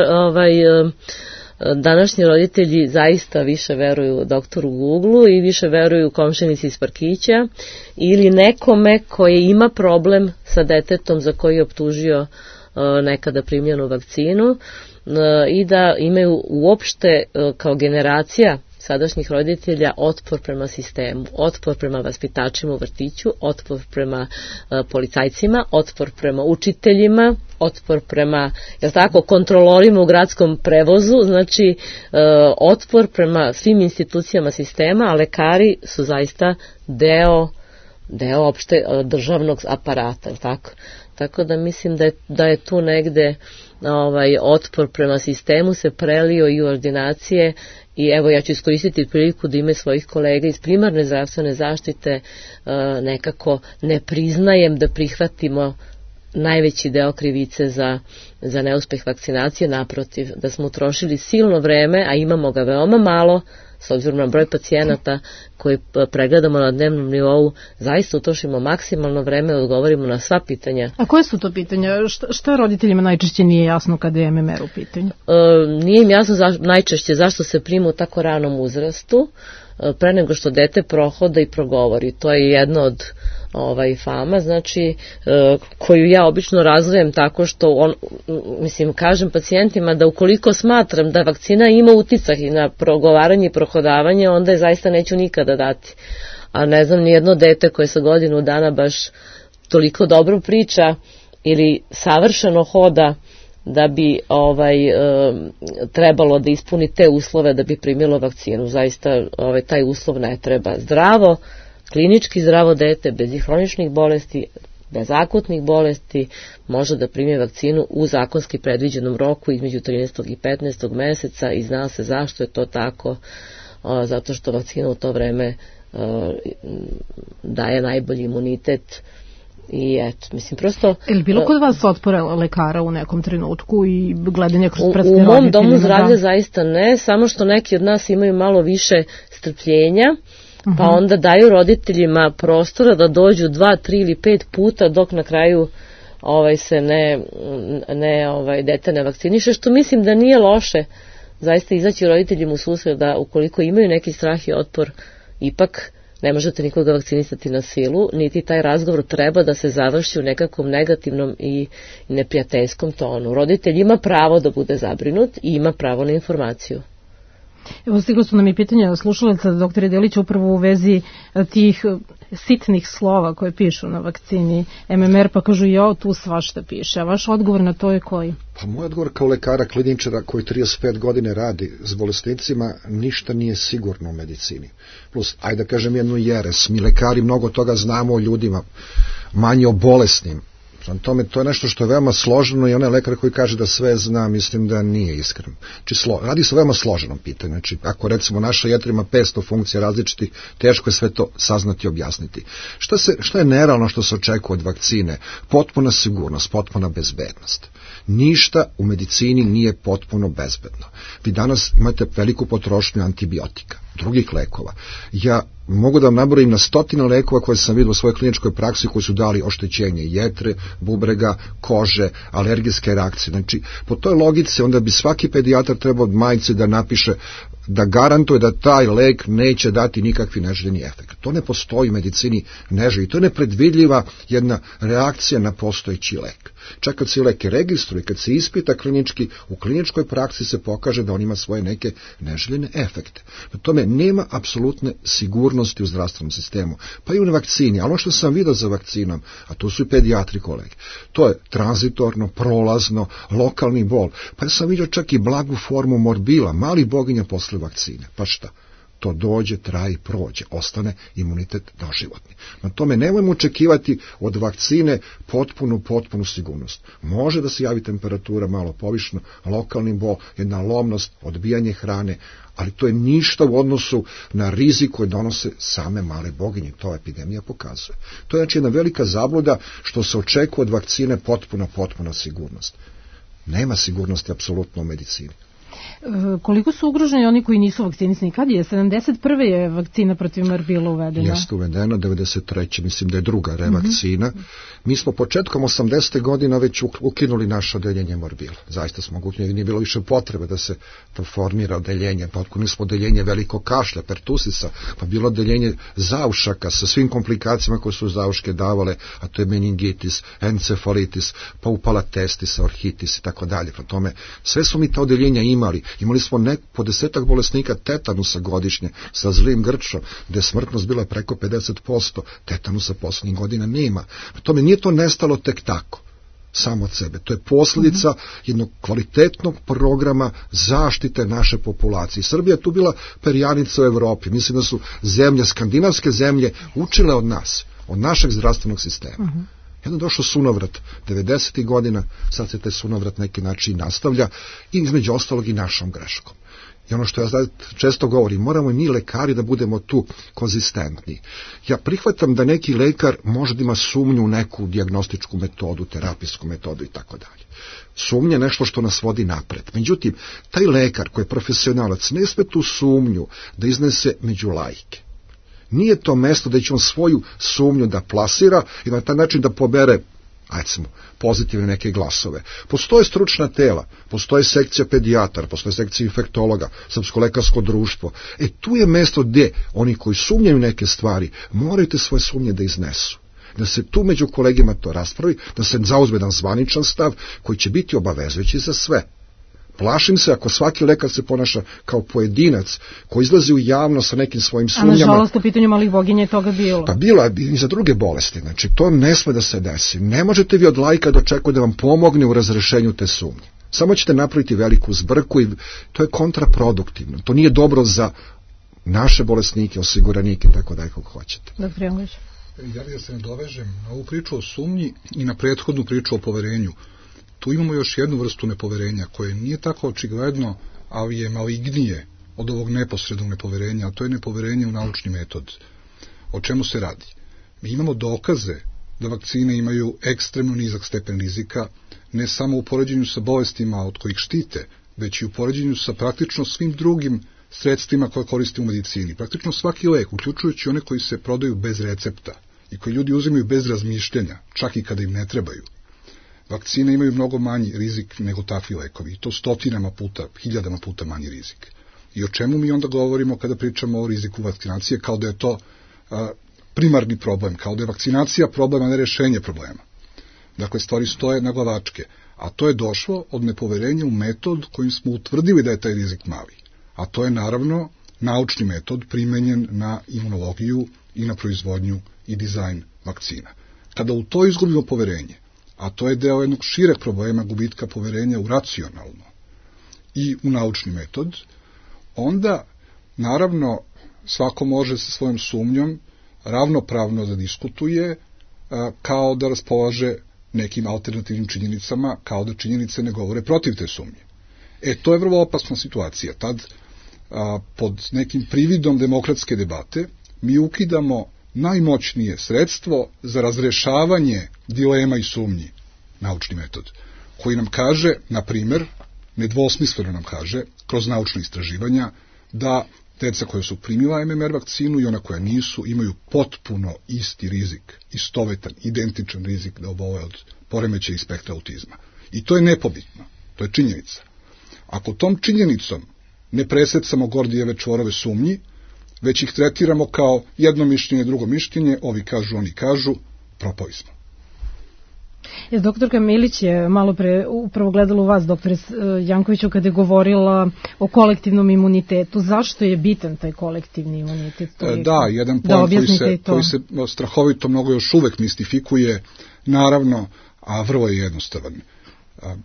današnji roditelji zaista više veruju doktoru Googleu i više veruju komšinici iz parkića ili nekome koji ima problem sa detetom za koji je optužio nekada primljenu vakcinu i da imaju uopšte kao generacija sadašnjih roditelja otpor prema sistemu, otpor prema vaspitačima u vrtiću, otpor prema policajcima, otpor prema učiteljima, otpor prema, kontrolorima u gradskom prevozu, znači otpor prema svim institucijama sistema, a lekari su zaista deo opšte državnog aparata, tako? Tako da mislim da je tu negde otpor prema sistemu se prelio i u ordinacije i evo ja ću iskoristiti priliku da ime svojih kolega iz primarne zdravstvene zaštite nekako ne priznajem da prihvatimo najveći deo krivice za neuspeh vakcinacije, naprotiv, da smo utrošili silno vreme, a imamo ga veoma malo, s obzirom na broj pacijenata koji pregledamo na dnevnom nivou, zaista utrošimo maksimalno vreme da odgovorimo na sva pitanja. A koje su to pitanja? Šta roditeljima najčešće nije jasno kada je MMR u pitanju? Nije im jasno najčešće zašto se prima u tako ranom uzrastu, pre nego što dete prohoda i progovori. To je jedno od fama, znači, koju ja obično razvojem tako što kažem pacijentima da ukoliko smatram da vakcina ima uticaj na progovaranje i prohodavanje, onda je zaista neću nikada dati. A ne znam ni jedno dete koje sa godinu dana baš toliko dobro priča ili savršeno hoda da bi trebalo da ispuni te uslove da bi primilo vakcinu. Zaista taj uslov ne treba. Zdravo, klinički zdravo dete, bez hroničnih bolesti, bez akutnih bolesti, može da primi vakcinu u zakonski predviđenom roku između 13. i 15. meseca i zna se zašto je to tako, zato što vakcina u to vreme daje najbolji imunitet. I eto, mislim, prosto... Je li bilo kod vas otpora lekara u nekom trenutku i gledanje kroz prste roditeljima? U mom domu zdravlja zaista ne, samo što neki od nas imaju malo više strpljenja, pa onda daju roditeljima prostora da dođu 2, 3 ili 5 puta dok na kraju se dete ne vakciniše, što mislim da nije loše zaista izaći roditeljima u susret da ukoliko imaju neki strah i otpor, ipak ne možete nikoga vakcinisati na silu, niti taj razgovor treba da se završi u nekakvom negativnom i neprijateljskom tonu. Roditelj ima pravo da bude zabrinut i ima pravo na informaciju. Evo, stiglo su nam i pitanja slušalaca doktore Delića upravo u vezi tih sitnih slova koje pišu na vakcini MMR, pa kažu tu svašta piše. A vaš odgovor na to je koji? Pa moj odgovor kao lekara kliničara koji 35 godine radi s bolesnicima, ništa nije sigurno u medicini. Plus, ajde da kažem jednu jeres, mi lekari mnogo toga znamo o ljudima, manje o bolesnim. Tome, to je nešto što je veoma složeno i onaj lekar koji kaže da sve zna, mislim da nije iskren. Radi se o veoma složenom pitanju. Znači, ako recimo naša jetra ima 500 funkcija različitih, teško je sve to saznati i objasniti. Šta je nerealno što se očekuje od vakcine? Potpuna sigurnost, potpuna bezbednost. Ništa u medicini nije potpuno bezbedno. Vi danas imate veliku potrošnju antibiotika, drugih lekova. Ja mogu da vam nabrojim na 100 lekova koje sam vidio u svojoj kliničkoj praksi koji su dali oštećenje jetre, bubrega, kože, alergijske reakcije. Znači, po toj logici onda bi svaki pedijatar trebao od majice da napiše da garantuje da taj lek neće dati nikakvi neželjeni efekt. To ne postoji u medicini neželji. To je nepredvidljiva jedna reakcija na postojeći lek. Čak kad se lek registruje, kad se ispita klinički, u kliničkoj praksi se pokaže da on ima svoje neke neželjene efekte. Na tome nema apsolutne sigurnosti u zdravstvenom sistemu. Pa i u vakcini, ali ono što sam vidio za vakcinom, a to su i pedijatri kolege, to je tranzitorno, prolazno, lokalni bol. Pa ja sam vidio čak i blagu formu morbila, mali boginja posle vakcine. Pa šta? To dođe, traje i prođe, ostane imunitet doživotni. Na tome nemojmo očekivati od vakcine potpunu sigurnost. Može da se javi temperatura malo povišno, lokalni bol, jedna lomnost, odbijanje hrane, ali to je ništa u odnosu na rizik koji donose same male boginje. To epidemija pokazuje. To je znači jedna velika zabluda što se očekuje od vakcine potpuna sigurnost. Nema sigurnosti apsolutno u medicini. Koliko su ugroženi oni koji nisu vakcinisani? Kad je? 71. je vakcina protiv morbila uvedena? Jeste uvedena, 93. mislim da je druga revakcina. Mi smo početkom 80. godina već ukinuli naše odeljenje morbila. Zaista smo ukinuli, nije bilo više potrebe da se to formira odeljenje. Pa ukinuli smo odeljenje velikog kašlja, pertusisa, pa bilo odeljenje zaušaka sa svim komplikacijama koje su zauške davale, a to je meningitis, encefalitis, pa upala testisa, orhitis i tako dalje. Prema tome, sve su mi ta odeljenja imali. Imali smo po 10 bolesnika tetanusa godišnje sa zlim grčom, gde je smrtnost bila preko 50%. Tetanusa poslednjih godina nema. Prema tome, nije to nestalo tek tako, samo od sebe. To je posljedica jednog kvalitetnog programa zaštite naše populacije. Srbija je tu bila perjanica u Evropi. Mislim da su zemlje, skandinavske zemlje, učile od nas, od našeg zdravstvenog sistema. Jedno došao sunovrat 90. godina, sad se taj sunovrat neki način nastavlja i između ostalog i našom greškom. I ono što ja često govorim, moramo i mi lekari da budemo tu konzistentni. Ja prihvatam da neki lekar može da ima sumnju u neku dijagnostičku metodu, terapijsku metodu i tako dalje. Sumnja je nešto što nas vodi napred. Međutim, taj lekar koji je profesionalac ne sme tu sumnju da iznese među laike. Nije to mesto da će on svoju sumnju da plasira i na taj način da pobere, pozitivne neke glasove. Postoje stručna tela, postoje sekcija pedijatara, postoje sekcija infektologa, Srpsko lekarsko društvo. Tu je mesto gde oni koji sumnjaju neke stvari moraju te svoje sumnje da iznesu. Da se tu među kolegima to raspravi, da se zauzme jedan zvaničan stav koji će biti obavezujući za sve. Plašim se ako svaki lekar se ponaša kao pojedinac koji izlazi u javno sa nekim svojim sumnjama. A nažalost u pitanju malih boginja je toga bilo. Pa bilo je i za druge bolesti. Znači to ne sme da se desi. Ne možete vi od laika da očekujete da vam pomogne u razrešenju te sumnje. Samo ćete napraviti veliku zbrku i to je kontraproduktivno. To nije dobro za naše bolesnike, osiguranike, tako da je kako hoćete. Doktor Janković. Ja bih da se nadovežem na ovu priču o sumnji i na prethodnu priču o poverenju. Tu imamo još jednu vrstu nepoverenja koje nije tako očigledno, ali je malignije od ovog neposrednog nepoverenja, a to je nepoverenje u naučni metod. O čemu se radi? Mi imamo dokaze da vakcine imaju ekstremno nizak stepen rizika, ne samo u poređenju sa bolestima od kojih štite, već i u poređenju sa praktično svim drugim sredstvima koje koriste u medicini. Praktično svaki lek, uključujući one koji se prodaju bez recepta i koji ljudi uzimaju bez razmišljanja, čak i kada im ne trebaju. Vakcine imaju mnogo manji rizik nego takvi lekovi, i to stotinama puta, hiljadama puta manji rizik. I o čemu mi onda govorimo kada pričamo o riziku vakcinacije, kao da je to primarni problem, kao da je vakcinacija problem, a ne rešenje problema. Dakle, stvari stoje na glavačke, a to je došlo od nepoverenja u metod kojim smo utvrdili da je taj rizik mali. A to je naravno naučni metod primenjen na imunologiju i na proizvodnju i dizajn vakcina. Kada u to izgubimo poverenje, a to je deo jednog šireg problema gubitka poverenja u racionalno i u naučni metod, onda, naravno, svako može sa svojom sumnjom ravnopravno da diskutuje, kao da raspolaže nekim alternativnim činjenicama, kao da činjenice ne govore protiv te sumnje. To je vrlo opasna situacija. Tad, pod nekim prividom demokratske debate, mi ukidamo najmoćnije sredstvo za razrešavanje dilema i sumnji, naučni metod, koji nam kaže, na primer, nedvosmisleno nam kaže, kroz naučne istraživanja, da deca koja su primila MMR vakcinu i ona koja nisu imaju potpuno isti rizik, istovetan, identičan rizik da obole od poremećaja i spektra autizma. I to je nepobitno, to je činjenica. Ako tom činjenicom ne presecamo Gordijeve čvorove sumnji, već ih tretiramo kao jedno mišljenje, drugo mišljenje, ovi kažu, oni kažu, propali smo. Doktorka Milić je malo pre upravo gledala u vas, doktore Jankoviću, kada je govorila o kolektivnom imunitetu. Zašto je bitan taj kolektivni imunitet? Da, jedan pojam koji se strahovito mnogo još uvek mistifikuje, naravno, a vrlo je jednostavan.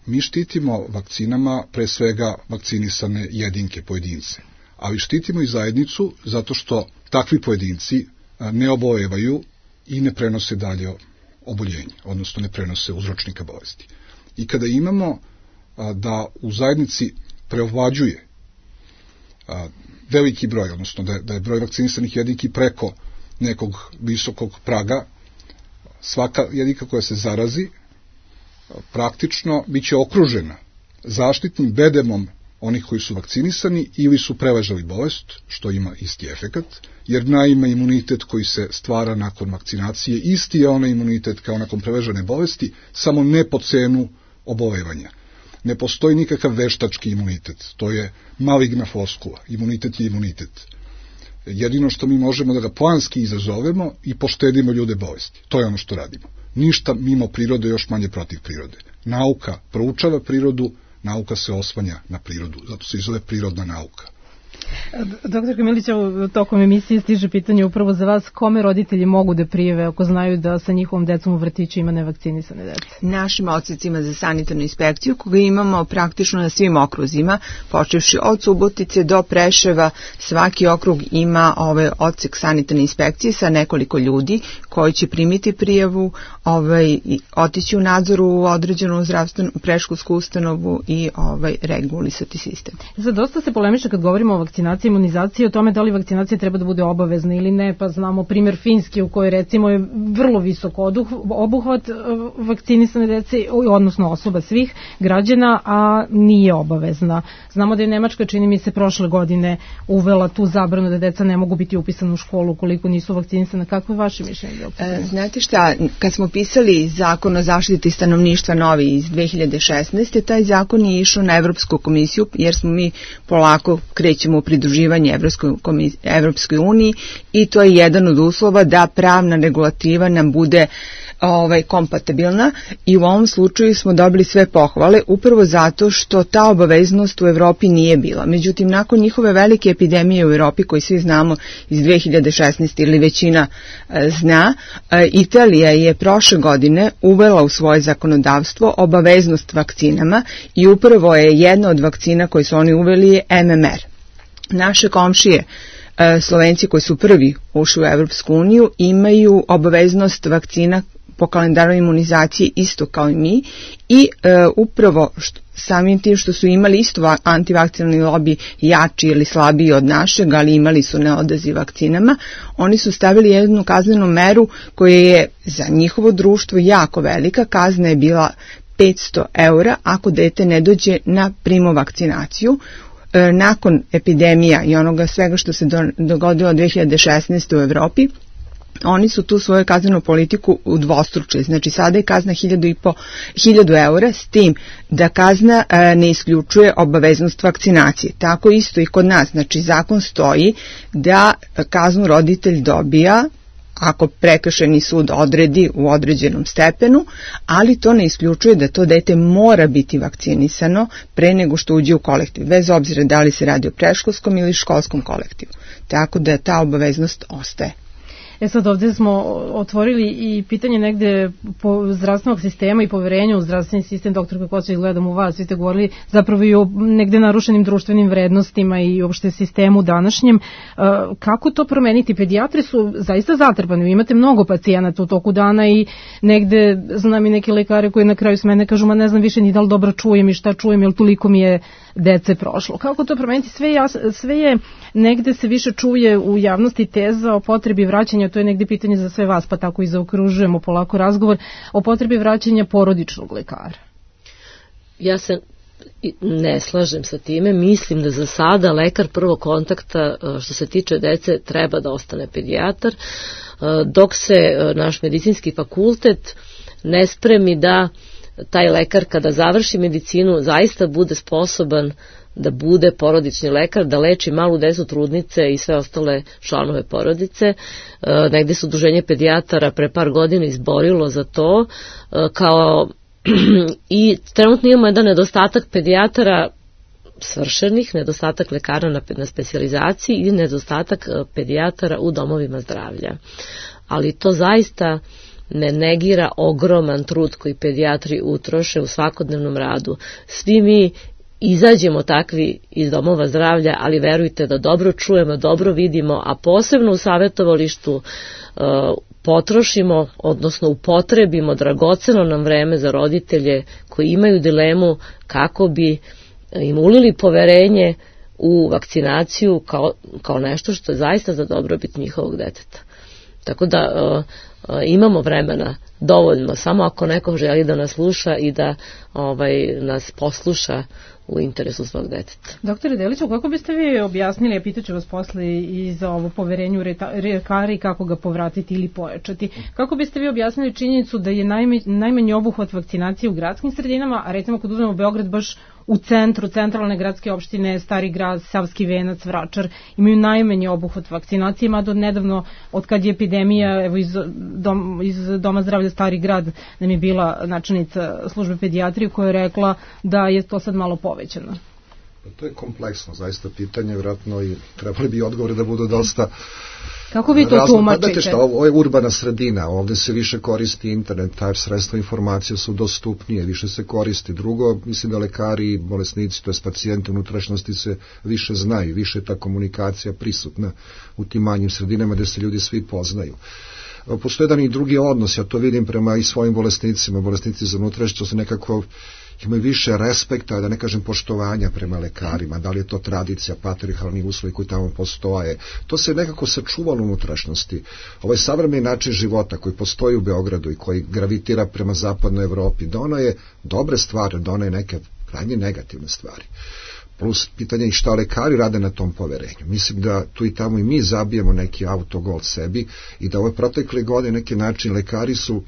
Mi štitimo vakcinama pre svega vakcinisane jedinke, pojedince, ali štitimo i zajednicu zato što takvi pojedinci ne obolevaju i ne prenose dalje oboljenje, odnosno ne prenose uzročnika bolesti. I kada imamo da u zajednici preovlađuje veliki broj, odnosno da je broj vakcinisanih jedinki preko nekog visokog praga, svaka jedinka koja se zarazi praktično biće okružena zaštitnim bedemom onih koji su vakcinisani ili su preležali bolest, što ima isti efekat, jer naime imunitet koji se stvara nakon vakcinacije isti je onaj imunitet kao nakon preležane bolesti, samo ne po cenu obolevanja. Ne postoji nikakav veštački imunitet, to je maligna floskula, imunitet je imunitet. Jedino što mi možemo da ga planski izazovemo i poštedimo ljude bolesti. To je ono što radimo. Ništa mimo prirode, još manje protiv prirode. Nauka proučava prirodu, nauka se oslanja na prirodu, zato se i zove prirodna nauka. Doktor Milić, tokom emisije stiže pitanje upravo za vas, kome roditelji mogu da prijave ako znaju da sa njihovom decom u vrtiću ima nevakcinisane dece? Našim odsecima za sanitarnu inspekciju, koga imamo praktično na svim okruzima, počevši od Subotice do Preševa, svaki okrug ima odsek sanitarne inspekcije sa nekoliko ljudi koji će primiti prijavu, otići u nadzoru u određenu zdravstvenu predškolsku ustanovu i regulisati sistem. Sad, dosta se polemiše kad govorimo o vakcinaciji, imunizaciji, o tome da li vakcinacija treba da bude obavezna ili ne, pa znamo primjer Finjske u kojoj recimo je vrlo visok obuhvat vakcinisane dece, odnosno osoba svih građana, a nije obavezna. Znamo da je Nemačka, čini mi se, prošle godine uvela tu zabranu da deca ne mogu biti upisana u školu ukoliko nisu vakcinisana. Kako je vaše mišljenje? Znate šta, kad smo pisali zakon o zaštiti stanovništva novi iz 2016. taj zakon je išao na Evropsku komisiju, jer smo mi polako krećemo u pridruživanje Evropskoj uniji i to je jedan od uslova da pravna regulativa nam bude kompatibilna i u ovom slučaju smo dobili sve pohvale upravo zato što ta obaveznost u Evropi nije bila. Međutim, nakon njihove velike epidemije u Evropi, koji svi znamo iz 2016. ili većina zna, Italija je prošle godine uvela u svoje zakonodavstvo obaveznost vakcinama i upravo je jedna od vakcina koje su oni uveli je MMR. Naše komšije, Slovenci koji su prvi ušli u Evropsku uniju, imaju obaveznost vakcina po kalendaru imunizacije isto kao i mi i upravo samim tim što su imali isto antivakcinalni lobi jači ili slabiji od našeg, ali imali su neodaziv vakcinama, oni su stavili jednu kaznenu meru koja je za njihovo društvo jako velika. Kazna je bila 500 € ako dete ne dođe na primovakcinaciju. Nakon epidemija i onoga svega što se dogodilo 2016. u Evropi, oni su tu svoju kaznenu politiku udvostručili. Znači sada je kazna 1000 € s tim da kazna ne isključuje obaveznost vakcinacije. Tako isto i kod nas. Znači zakon stoji da kaznu roditelj dobija ako prekršajni sud odredi u određenom stepenu, ali to ne isključuje da to dete mora biti vakcinisano pre nego što uđe u kolektiv, bez obzira da li se radi o predškolskom ili školskom kolektivu. Tako da ta obaveznost ostaje. Sad ovdje smo otvorili i pitanje negde po zdravstvenog sistema i poverenja u zdravstveni sistem. Doktor, kako se gledam u vas, vi ste govorili zapravo i o negde narušenim društvenim vrednostima i uopšte sistemu današnjem. Kako to promeniti? Pedijatri su zaista zatrpani, vi imate mnogo pacijenata u toku dana i negde znam i neke lekare koji na kraju s mene kažu, ma ne znam više ni da li dobro čujem i šta čujem, jer toliko mi je dece prošlo. Kako to promeniti? Sve je negde se više čuje u javnosti teza o potrebi vraćanja, to je negde pitanje za sve vas, pa tako i zaokružujemo polako razgovor, o potrebi vraćanja porodičnog lekara. Ja se ne slažem sa time, mislim da za sada lekar prvog kontakta što se tiče dece treba da ostane pedijatar, dok se naš medicinski fakultet ne spremi da taj lekar kada završi medicinu zaista bude sposoban da bude porodični lekar, da leči malu decu, trudnice i sve ostale članove porodice. Negde se udruženje pedijatara pre par godina izborilo za to, kao i trenutno imamo jedan nedostatak pedijatara svršenih, nedostatak lekara na specijalizaciji i nedostatak pedijatara u domovima zdravlja. Ali to zaista ne negira ogroman trud koji pedijatri utroše u svakodnevnom radu. Svi mi izađemo takvi iz domova zdravlja, ali verujte da dobro čujemo, dobro vidimo, a posebno u savjetovalištu potrošimo, odnosno upotrebimo dragoceno nam vreme za roditelje koji imaju dilemu kako bi im ulili poverenje u vakcinaciju kao nešto što je zaista za dobrobit njihovog deteta. Tako da imamo vremena dovoljno, samo ako neko želi da nas sluša i da nas posluša u interesu svog deteta. Doktore Deliću, kako biste vi objasnili, a pitaću vas posle i za ovo poverenju lekara i kako ga povratiti ili pojačati, kako biste vi objasnili činjenicu da je najmanji obuhvat vakcinacije u gradskim sredinama, a recimo kad uzmemo Beograd baš u centru, centralne gradske opštine, Stari grad, Savski venac, Vračar, imaju najmanji obuhvat vakcinacije, mada od nedavno, od kad je epidemija, evo iz Doma zdravlja Stari grad nam je bila načelnica službe pedijatrije koja je rekla da je to sad malo povećano. To je kompleksno, zaista pitanje, vjerojatno i trebali bi odgovore da budu dosta. Kako vi to tumačite? Znate šta, ovo je urbana sredina, ovde se više koristi internet, taj sredstva informacije su dostupnije, više se koristi. Drugo, mislim da lekari i bolesnici, to je pacijenti unutrašnjosti se više znaju, više je ta komunikacija prisutna u tim manjim sredinama gde se ljudi svi poznaju. Postoje jedan i drugi odnos, ja to vidim prema i svojim bolesnicima, bolesnici za unutrašnjost su nekako imaju više respekta, da ne kažem poštovanja prema lekarima, da li je to tradicija, patriarhalni uslovi koji tamo postoje. To se nekako sačuvalo u unutrašnjosti. Ovaj savremeni način života koji postoji u Beogradu i koji gravitira prema zapadnoj Evropi, dono je dobre stvari, dono je neke krajnje negativne stvari. Plus pitanje i šta lekari rade na tom poverenju. Mislim da tu i tamo i mi zabijemo neki autogol sebi i da ove protekle godine neki način lekari su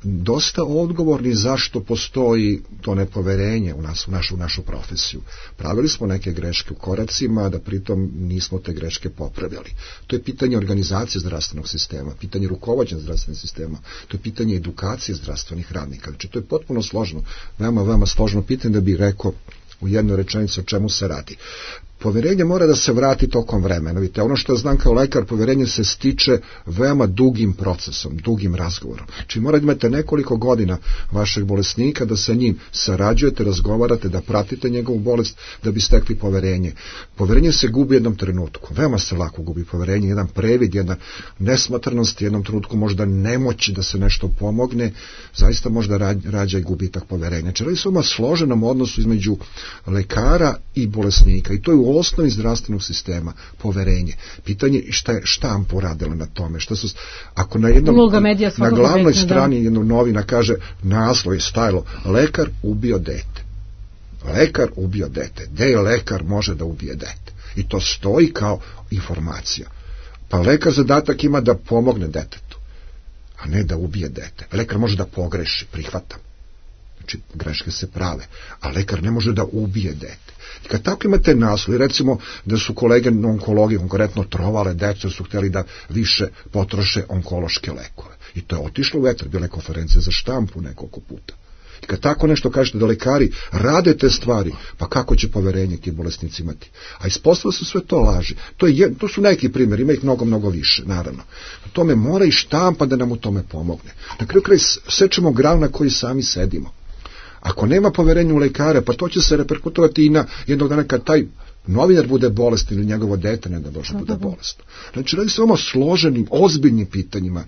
dosta odgovorni zašto postoji to nepoverenje u nas, u našu profesiju. Pravili smo neke greške u koracima, da pritom nismo te greške popravili. To je pitanje organizacije zdravstvenog sistema, pitanje rukovođenja zdravstvenog sistema, to je pitanje edukacije zdravstvenih radnika. Znači, to je potpuno složno, veoma složno pitanje da bi rekao u jednoj rečenici o čemu se radi. Poverenje mora da se vrati tokom vremena. Vidite, ono što znam kao lekar, poverenje se stiče veoma dugim procesom, dugim razgovorom. Znači morate imate nekoliko godina vašeg bolesnika da sa njim sarađujete, razgovarate, da pratite njegovu bolest, da bi stekli poverenje. Poverenje se gubi u jednom trenutku. Veoma se lako gubi poverenje, jedan previd, jedna nesmotrnost, jednom trenutku možda nemoći da se nešto pomogne, zaista možda rađa i gubitak poverenja. Znači radi se o složenom odnosu između lekara i bolesnika i to je u osnovi zdravstvenog sistema poverenje. Pitanje šta je štampa uradila na tome, šta su, ako na na glavnoj strani jednog novina kaže, naslov je stajalo, lekar ubio dete. Lekar ubio dete. Gde je lekar može da ubije dete? I to stoji kao informacija. Pa lekar zadatak ima da pomogne detetu, a ne da ubije dete. Lekar može da pogreši, prihvatam. Znači, greške se prave, a lekar ne može da ubije dete. I kad tako imate naslov, recimo da su kolege na onkologiji konkretno trovale decu, su htjeli da više potroše onkološke lekove. I to je otišlo u vetar, bila je konferencija za štampu nekoliko puta. I kad tako nešto kažete da lekari rade te stvari, pa kako će poverenje ti bolesnici imati? A ispostavilo su sve to laži. To su neki primjeri, ima ih mnogo više, naravno. U tome mora i štampa da nam u tome pomogne. Na kraju sečemo granu na koji sami sedimo. Ako nema poverenja u lekare, pa to će se reperkutovati i na jednog dana kad taj novinar bude bolestan ili njegovo dete ne da Bože bude bolesno. Znači, radi se o složenim, ozbiljnim pitanjima.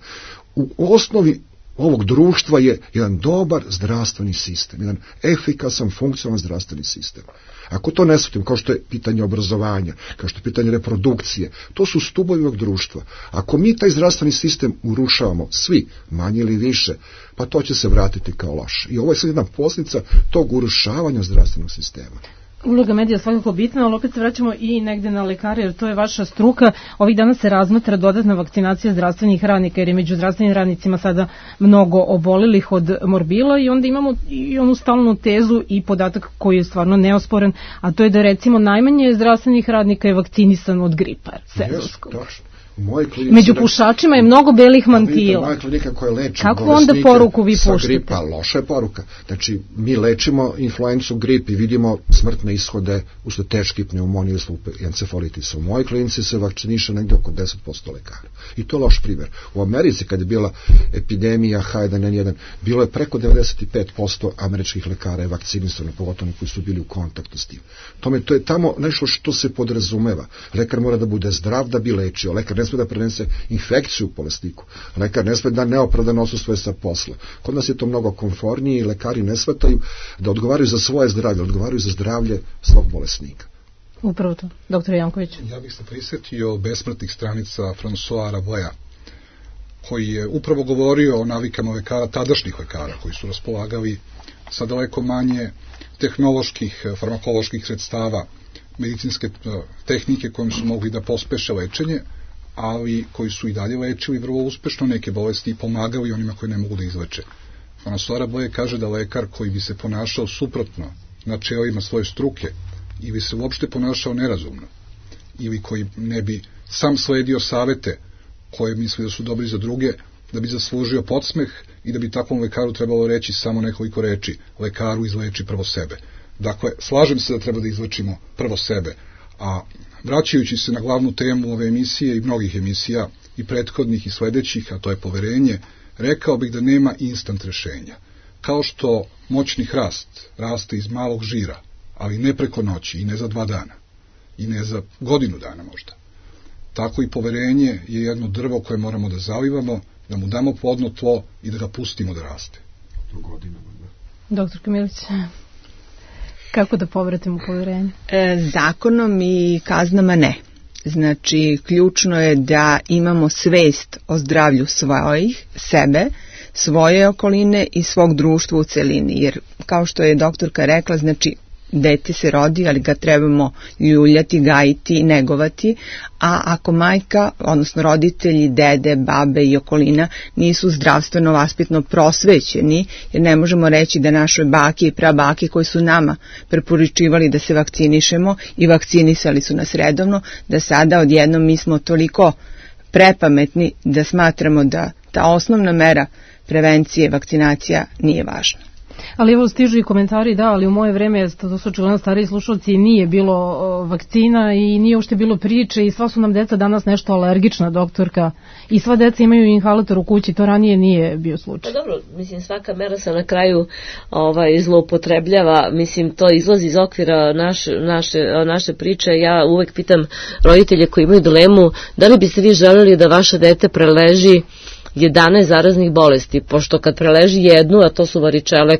U osnovi ovog društva je jedan dobar zdravstveni sistem, jedan efikasan, funkcionalan zdravstveni sistem. Ako to ne shvatim, kao što je pitanje obrazovanja, kao što je pitanje reprodukcije, to su stubovi ovog društva. Ako mi taj zdravstveni sistem urušavamo, svi, manje ili više, pa to će se vratiti kao loše. I ovo je sad jedna posljedica tog urušavanja zdravstvenog sistema. Uloga medija je svakako bitna, ali opet se vraćamo i negde na lekare, jer to je vaša struka. Ovih dana se razmatra dodatna vakcinacija zdravstvenih radnika, jer je među zdravstvenim radnicima sada mnogo obolelih od morbila i onda imamo i onu stalnu tezu i podatak koji je stvarno neosporen, a to je da recimo najmanje zdravstvenih radnika je vakcinisan od gripa sezonskog. Među pušačima je mnogo belih mantila. Moja klinika koja leči kako onda poruku vi puštate? Gripa, loša je poruka. Znači, mi lečimo influencu, grip i vidimo smrtne ishode usled teške pneumonije i encefalitisa. U mojoj klinici se vakciniše negde oko 10% lekara. I to je loš primjer. U Americi, kad je bila epidemija H1N1, bilo je preko 95% američkih lekara je vakcinisano, pogotovo koji su bili u kontaktu s tim. To je tamo nešto što se podrazumeva. Lekar mora da bude zdrav da bi lečio. Lekar ne sme da prenese infekciju u bolesniku. Lekar ne sme da neopravdano odsustuje sa posla. Kod nas je to mnogo komfornije i lekari ne shvataju da odgovaraju za svoje zdravlje, odgovaraju za zdravlje svog bolesnika. Upravo to. Doktor Janković. Ja bih se prisjetio besmrtnih stranica François Rabelais, koji je upravo govorio o navikama lekara, tadašnjih lekara, koji su raspolagali sa daleko manje tehnoloških, farmakoloških sredstava, medicinske tehnike kojim su mogli da pospeše lečenje, ali koji su i dalje lečili vrlo uspešno neke bolesti i pomagali onima koji ne mogu da izleče. François Rabelais kaže da lekar koji bi se ponašao suprotno načelima svoje struke ili se uopšte ponašao nerazumno ili koji ne bi sam sledio savete koje misli da su dobri za druge, da bi zaslužio podsmeh i da bi takvom lekaru trebalo reći samo nekoliko reči: lekaru, izleči prvo sebe. Dakle, slažem se da treba da izlečimo prvo sebe, a vraćajući se na glavnu temu ove emisije i mnogih emisija i prethodnih i sledećih, a to je poverenje, rekao bih da nema instant rešenja. Kao što moćni hrast raste iz malog žira, ali ne preko noći i ne za 2 dana i ne za godinu dana možda, tako i poverenje je jedno drvo koje moramo da zalivamo, da mu damo plodno tlo i da ga pustimo da raste. Doktor Kamilić, kako da povratimo poverenje? Zakonom i kaznama ne. Znači, ključno je da imamo svest o zdravlju svojih, sebe, svoje okoline i svog društva u celini. Jer, kao što je doktorka rekla, znači, dete se rodi, ali ga trebamo ljuljati, gajiti, negovati, a ako majka, odnosno roditelji, dede, babe i okolina nisu zdravstveno vaspitno prosvećeni, jer ne možemo reći da naše bake i prabake koji su nama preporučivali da se vakcinišemo i vakcinisali su nas redovno, da sada odjednom mi smo toliko prepametni da smatramo da ta osnovna mera prevencije, vakcinacija nije važna. Ali evo stižu i komentari, da, ali u moje vreme, to su očigledno stariji slušalci, nije bilo vakcina i nije uopšte bilo priče i sva su nam deca danas nešto alergična, doktorka, i sva deca imaju inhalator u kući, to ranije nije bio slučaj. Pa dobro, mislim, svaka mera se na kraju zloupotrebljava, mislim, to izlazi iz okvira naše priče. Ja uvek pitam roditelje koji imaju dilemu, da li biste vi želeli da vaše dete preleži 11 zaraznih bolesti, pošto kad preleži jednu, a to su varičele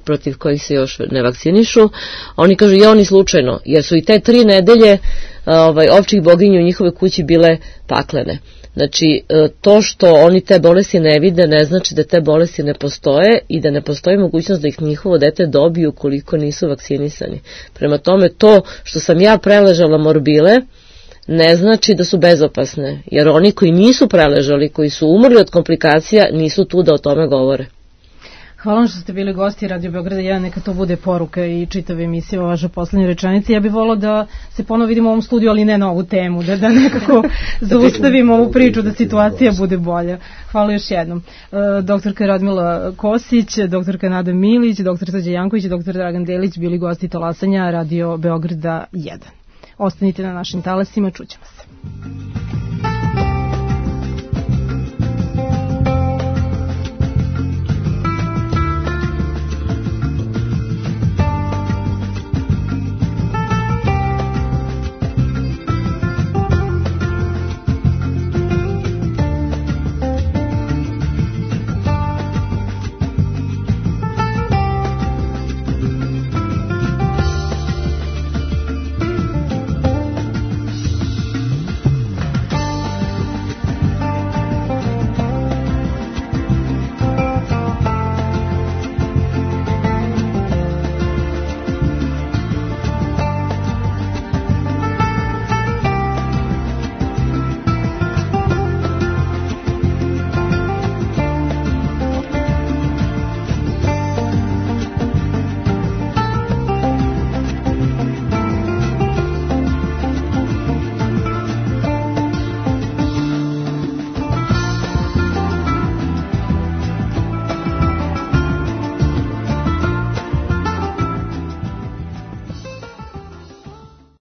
protiv kojih se još ne vakcinišu, oni kažu i oni slučajno, jer su i te 3 nedelje ovčih boginja u njihove kući bile paklene. Znači, to što oni te bolesti ne vide ne znači da te bolesti ne postoje i da ne postoji mogućnost da ih njihovo dete dobiju ukoliko nisu vakcinisani. Prema tome, to što sam ja preležala morbile ne znači da su bezopasne, jer oni koji nisu preležali, koji su umrli od komplikacija, nisu tu da o tome govore. Hvala vam što ste bili gosti Radio Beograda 1, neka to bude poruka i čitave emisije o vašoj poslednjoj rečenici. Ja bih volila da se ponovo vidimo u ovom studiju, ali ne na ovu temu, da nekako zaustavimo ovu priču, da situacija bude bolja. Hvala još jednom. Doktorka Radmila Kosić, doktorka Nada Milić, doktor Srđan Janković i doktor Dragan Delić bili gosti talasanja Radio Beograda 1. Ostanite na našim talasima, čućemo se.